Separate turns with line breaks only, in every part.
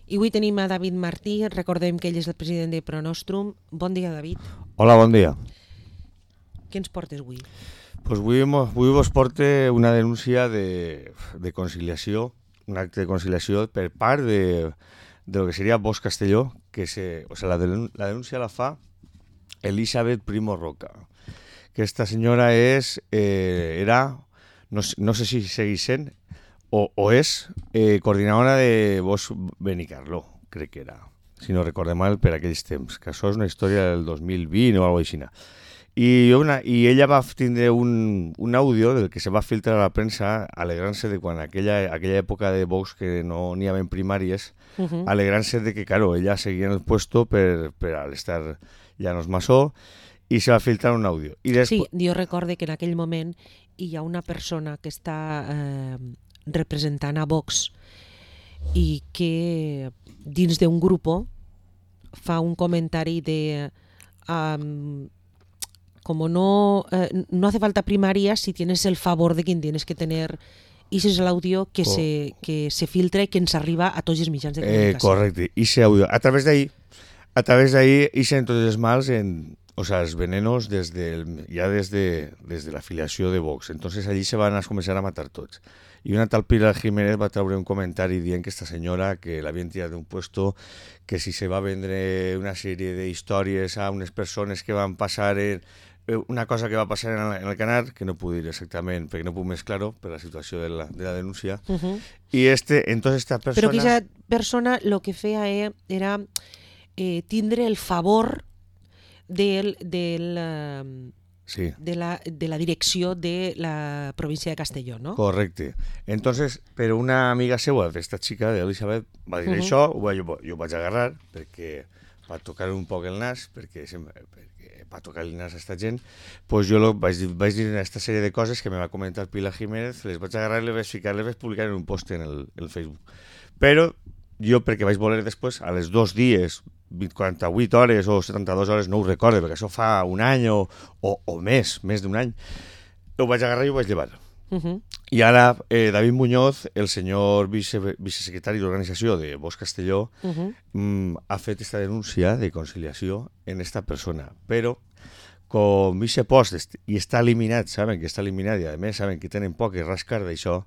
I avui tenim a David Martí, recordem que ell és el president de Pronostrum. Bon dia, David.
Hola, bon dia.
Què ens portes avui?
Pues avui vos porte una denúncia de conciliació, un acte de conciliació per part de lo que seria Bosch Castelló, la denúncia la fa Elisabet Primo Roca. Aquesta senyora era, no sé si segueix sent, o és coordinadora de Bosch Benicarló, crec que era, si no recorde mal, per aquells temps, que això és una història del 2020 o alguna cosa així. I ella va tindre un àudio del que se va filtrar a la premsa alegrant-se de quan aquella època de Vox que no n'hi havia primàries, alegrant-se de que, claro, ella seguia en el puesto per al estar Llanos Masó, i se va filtrar un àudio.
Sí, jo recorde que en aquell moment hi ha una persona que està representant a Vox i que dins d'un grup fa un comentari de como no hace falta primarias si tienes el favor de quien tienes que tener. I ese és l'àudio que se filtra i que ens arriba a tots els mitjans de comunicació.
Correcte, i ese àudio. A través d'ahí ixen tots els mals, els venenos ya desde la afiliació de Vox. Entonces allí se van a començar a matar tots. I una tal Pilar Jiménez va treure un comentari dient que esta senyora que l'havien tirat d'un puesto, que si se va vendre una sèrie d'històries a unes persones que van passar una cosa que va passar en el canal, que no puc dir exactament perquè no puc més claro per la situació de la denúncia. I entonces esta persona...
Però que aquesta persona lo que feia era tindre el favor
sí,
de la direcció de la província de Castelló, ¿no?
Correcte. Entonces, però una amiga seva d'esta xica, d'Elisabet, va dir això, jo vaig agarrar perquè va tocar un poc el nas, perquè va tocar el nas a esta gent, pues jo vaig dir aquesta sèrie de coses que me va comentar Pilar Jiménez, les vaig agarrar i les vaig ficar, les vaig publicar en un post en el Facebook. Però jo, perquè vaig voler després, a les 2 dies, 48 hores o 72 hores, no ho recordo, perquè això fa un any o més d'un any, ho vaig agarrar i ho vaig llevar. I ara David Muñoz, el senyor vicesecretari d'organització de Bosch Castelló, ha fet esta denúncia de conciliació en esta persona, però com aquest post i està eliminat, saben que està eliminat i a més saben que tenen poc que rascar d'això,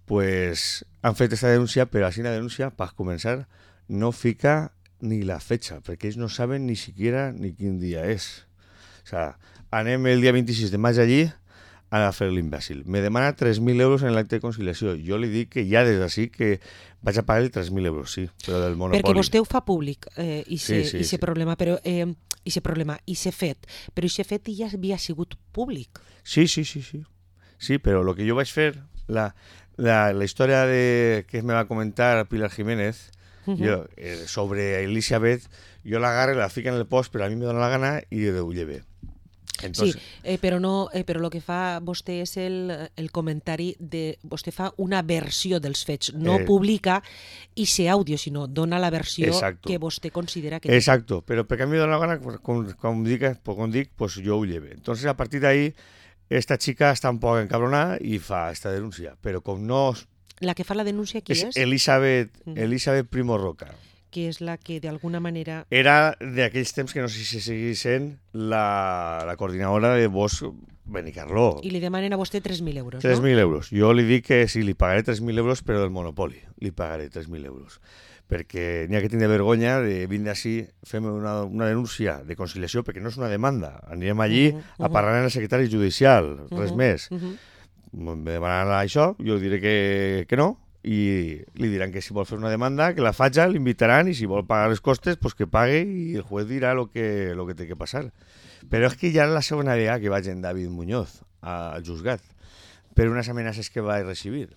pues han fet esta denúncia, però així la denúncia, per començar, no fica ni la fecha, perquè ells no saben ni siquiera ni quin dia és. O sea, anem el dia 26 de maig allí a fer l'imbècil. Me demana 3.000 euros en l'acte de conciliació. Jo li dic que ja des d'ací que vaig a pagar els 3.000 euros, sí, però del monopoli.
Perquè vostè ho fa públic, i se problema, però i se fet, però i se fet ja havia sigut públic.
Sí. Sí, però el que jo vaig fer, la història que me va comentar Pilar Jiménez, sobre Elisabet, jo l'agarre, la fica en el post, però a mi me dóna la gana i ho lleve.
Entonces... Sí, però el que fa vostè és el comentari de... Vostè fa una versió dels fets, no publica ese àudio, sinó dona la versió que vostè considera que...
Exacto, però perquè a mi me dóna la gana, com dic, pues jo ho lleve. Entonces, a partir d'ahí, esta chica està un poc encabronada i fa esta denúncia, però com no...
La que fa la denúncia, qui és?
Elisabet Primo Roca.
Que és la que d'alguna manera...
Era d'aquells temps que no sé si seguís sent la coordinadora de Bosch Benicarló.
I li demanen a vostè 3.000 euros,
3.000 euros. Jo li dic que sí, li pagaré 3.000 euros, però del monopoli. Li pagaré 3.000 euros. Perquè n'hi ha que tindre vergonya de vindre així, fem una denúncia de conciliació, perquè no és una demanda. Anirem allí a parlar amb el secretari judicial, res més. Me demanaran això, jo diré que no, i li diran que si vol fer una demanda, que la faci, l'invitaran, i si vol pagar les costes, pues que pague i el juez dirà lo que té que passar. Però és que ja és la segona vegada que vaig en David Muñoz al juzgat per unes amenaces que va recibir.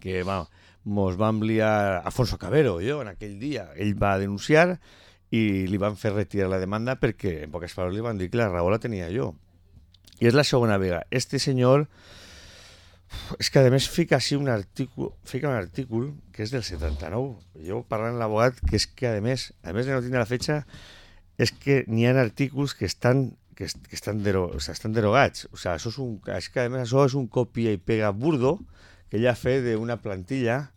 Que mos va enviar Alfonso Cabero, jo, en aquell dia. Ell va denunciar i li van fer retirar la demanda perquè, en poques paraules, li van dir que la raó la tenia jo. I és la segona vegada. Este senyor... És que a més fica així un artícul que és del 79. Jo parlant amb l'abogat que és que a més de no tindre la fetxa, és que n'hi ha artículs que estan derogats. O sea, és que a més això és un copia i pega burdo que ella ha fet d'una plantilla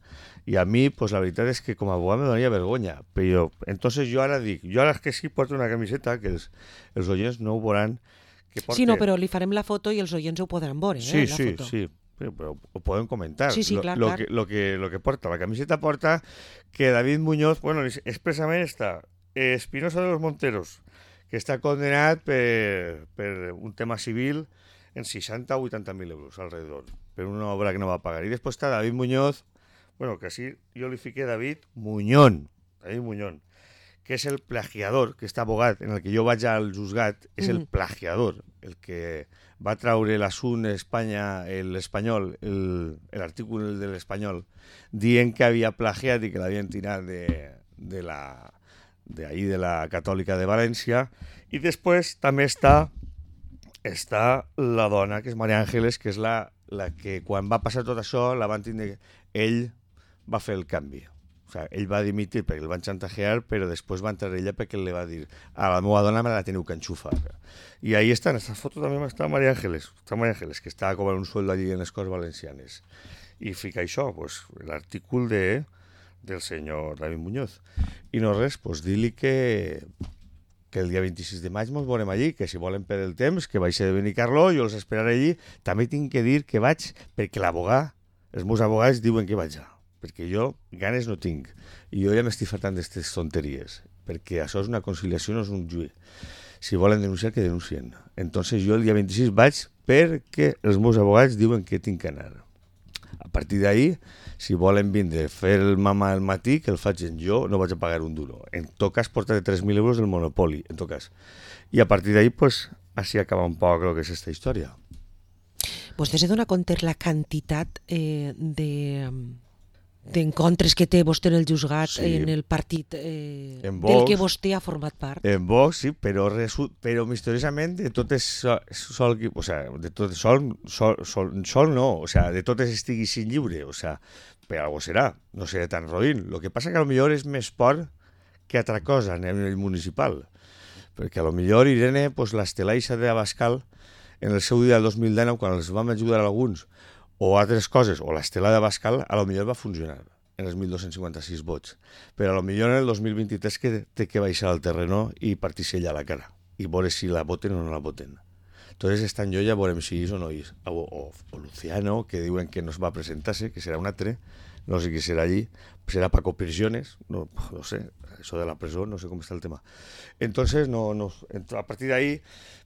I a mi, pues, la veritat és que com a abogat me donaria vergonya. Però entonces jo ara dic, jo ara que sí porto una camiseta, que els oients no ho veuran, que porta...
Sí, no, però li farem la foto i els oients ho podran veure,
sí,
la
sí,
foto.
sí, però ho podem comentar.
Sí, clar,
lo
clar.
lo que porta. La camiseta porta que David Muñoz, bueno, expressament està Espinosa de los Monteros, que està condenat per un tema civil en 60 o 80.000 euros alrededor, per una obra que no va pagar. I després està David Muñoz, bueno, que així jo li fiqué David Muñón, que és el plagiador, que està abogat, en el que jo vaig al juzgat, és el plagiador, el que va traure l'assunt Espanya, l'Espanyol, l'article de l'Espanyol, dient que havia plagiat i que l'havien tirat de la Catòlica de València. I després també està la dona, que és María Ángeles, que és la que quan va passar tot això la van tindre... Ell va fer el canvi. O sea, ell va dimitir perquè el van chantajear, però després va entrar ella perquè li va dir a la meva dona me la teniu que enxufar. I ahí està, en aquesta foto també està María Ángeles, que està cobrant un sueldo allí en les Corts Valencianes. I fica això, pues, l'artícul del senyor David Muñoz. I no res, pues dir-li que el dia 26 de maig ens veurem allí, que si volen per el temps, que vaig ser de Benicarló, jo els esperaré allí. També tinc que dir que vaig perquè l'abogat, els meus abogats diuen que vaig allà, perquè jo ganes no tinc. I jo ja m'estic fartant d'aquestes tonteries, perquè això és una conciliació, no és un juí. Si volen denunciar, que denuncien. Entonces jo el dia 26 vaig perquè els meus abogats diuen que tinc que anar. A partir d'ahí, si volen vindre a fer el mamà al matí, que el facin jo, no vaig a pagar un duro. En tot cas, portaré 3.000 euros del Monopoli, en tot cas. I a partir d'ahí, pues, així acaba un poc el que és aquesta història.
Vostè se dona compte la quantitat d'encontres que té vostè en el juzgat, sí, en el partit en Vox, del que vostè ha format part?
En Vox, sí, però misteriosament de totes sol, o sea, de totes sol no, o sea, de totes estigui sin lliure, o sea, per algo serà, no seré tan roïn. Lo que passa que a lo millor és més por que altra cosa a nivell municipal, perquè a lo millor Irene, pues, l'Estelaixa de Abascal, en el seu dia del 2019, quan els vam ajudar alguns, o altres coses, o l'Estela de Abascal, a lo millor va funcionar en els 1.256 vots. Però a lo millor en el 2023 que té que baixar al terreno i partir-se ella a la cara, i veure si la voten o no la voten. Entonces esta en jo ja veurem si és o no és. O Luciano, que diuen que no es va presentar-se, que serà un altre, no sé qui serà allí, serà Paco Prisiones, no sé, això de la presó, no sé com està el tema. Entonces, a partir d'ahí,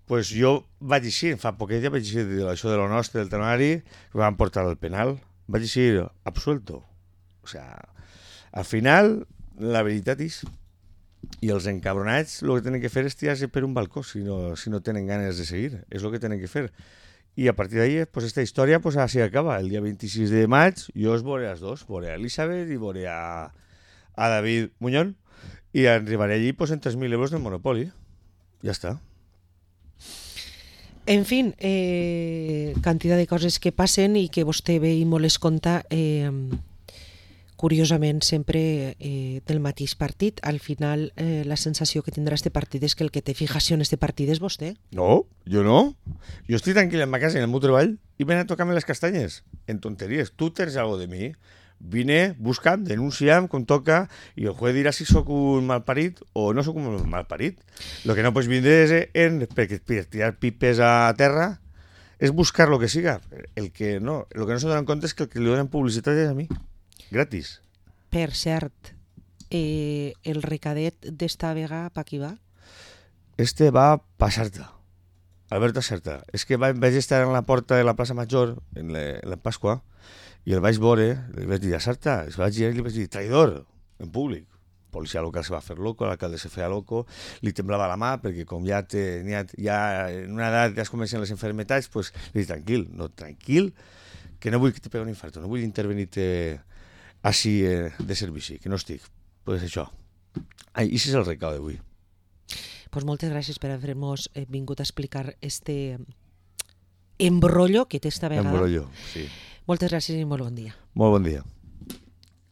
pues jo vaig eixir, fa poquet ja vaig eixir d'això de lo nostre, del temari, que van portar al penal, vaig eixir absuelto. O sea, al final, la veritat és, i els encabronats el que tenen que fer és tirar-se per un balcó si no tenen ganes de seguir, és el que tenen que fer. I a partir d'ahí, pues esta història pues així acaba. El dia 26 de maig jo els veuré a els dos, veuré a Elisabet i veuré a David Muñón, i arribaré allí pues en 3.000 euros del Monopoli. Ja està.
En fin, quantitat de coses que passen i que vostè ve i molt es compta, curiosament sempre del mateix partit. Al final la sensació que tindrà este partit és que el que té fijació en este partit és vostè.
No, jo no. Jo estic tranquil en ma casa, en el meu treball, i ven a tocar-me les castanyes, en tonteries. Tu tens algo de mi. Vine, busca'm, denuncia'm, com toca, i el juez dirà si sóc un malparit o no sóc un malparit. Lo que no pots vindre és per tirar pipes a terra, és buscar lo que siga. Lo que no se donen compte és que el que li donen publicitat és a mi. Gratis.
Per cert, el recadet d'esta vegada pa qui va?
Este va pa Sarta. Alberto Sarta. És que vaig estar en la porta de la plaça Major, en la Pasqua, i el vaig veure, li vaig dir a Sarta, li vaig dir, traïdor, en públic. Policia local se va fer loco, l'alcalde se feia loco, li temblava la mà, perquè com ja en una edat ja es comencen les enfermetats, pues, li dic, tranquil, que no vull que te pegui un infarto, no vull intervenir-te així de servici, que no estic. Pues això. I això és el recau d'avui.
Pues moltes gràcies per haver-nos vingut a explicar este embrollo que té esta vegada.
Embrollo, sí.
Moltes gràcies i molt bon dia.
Molt bon dia.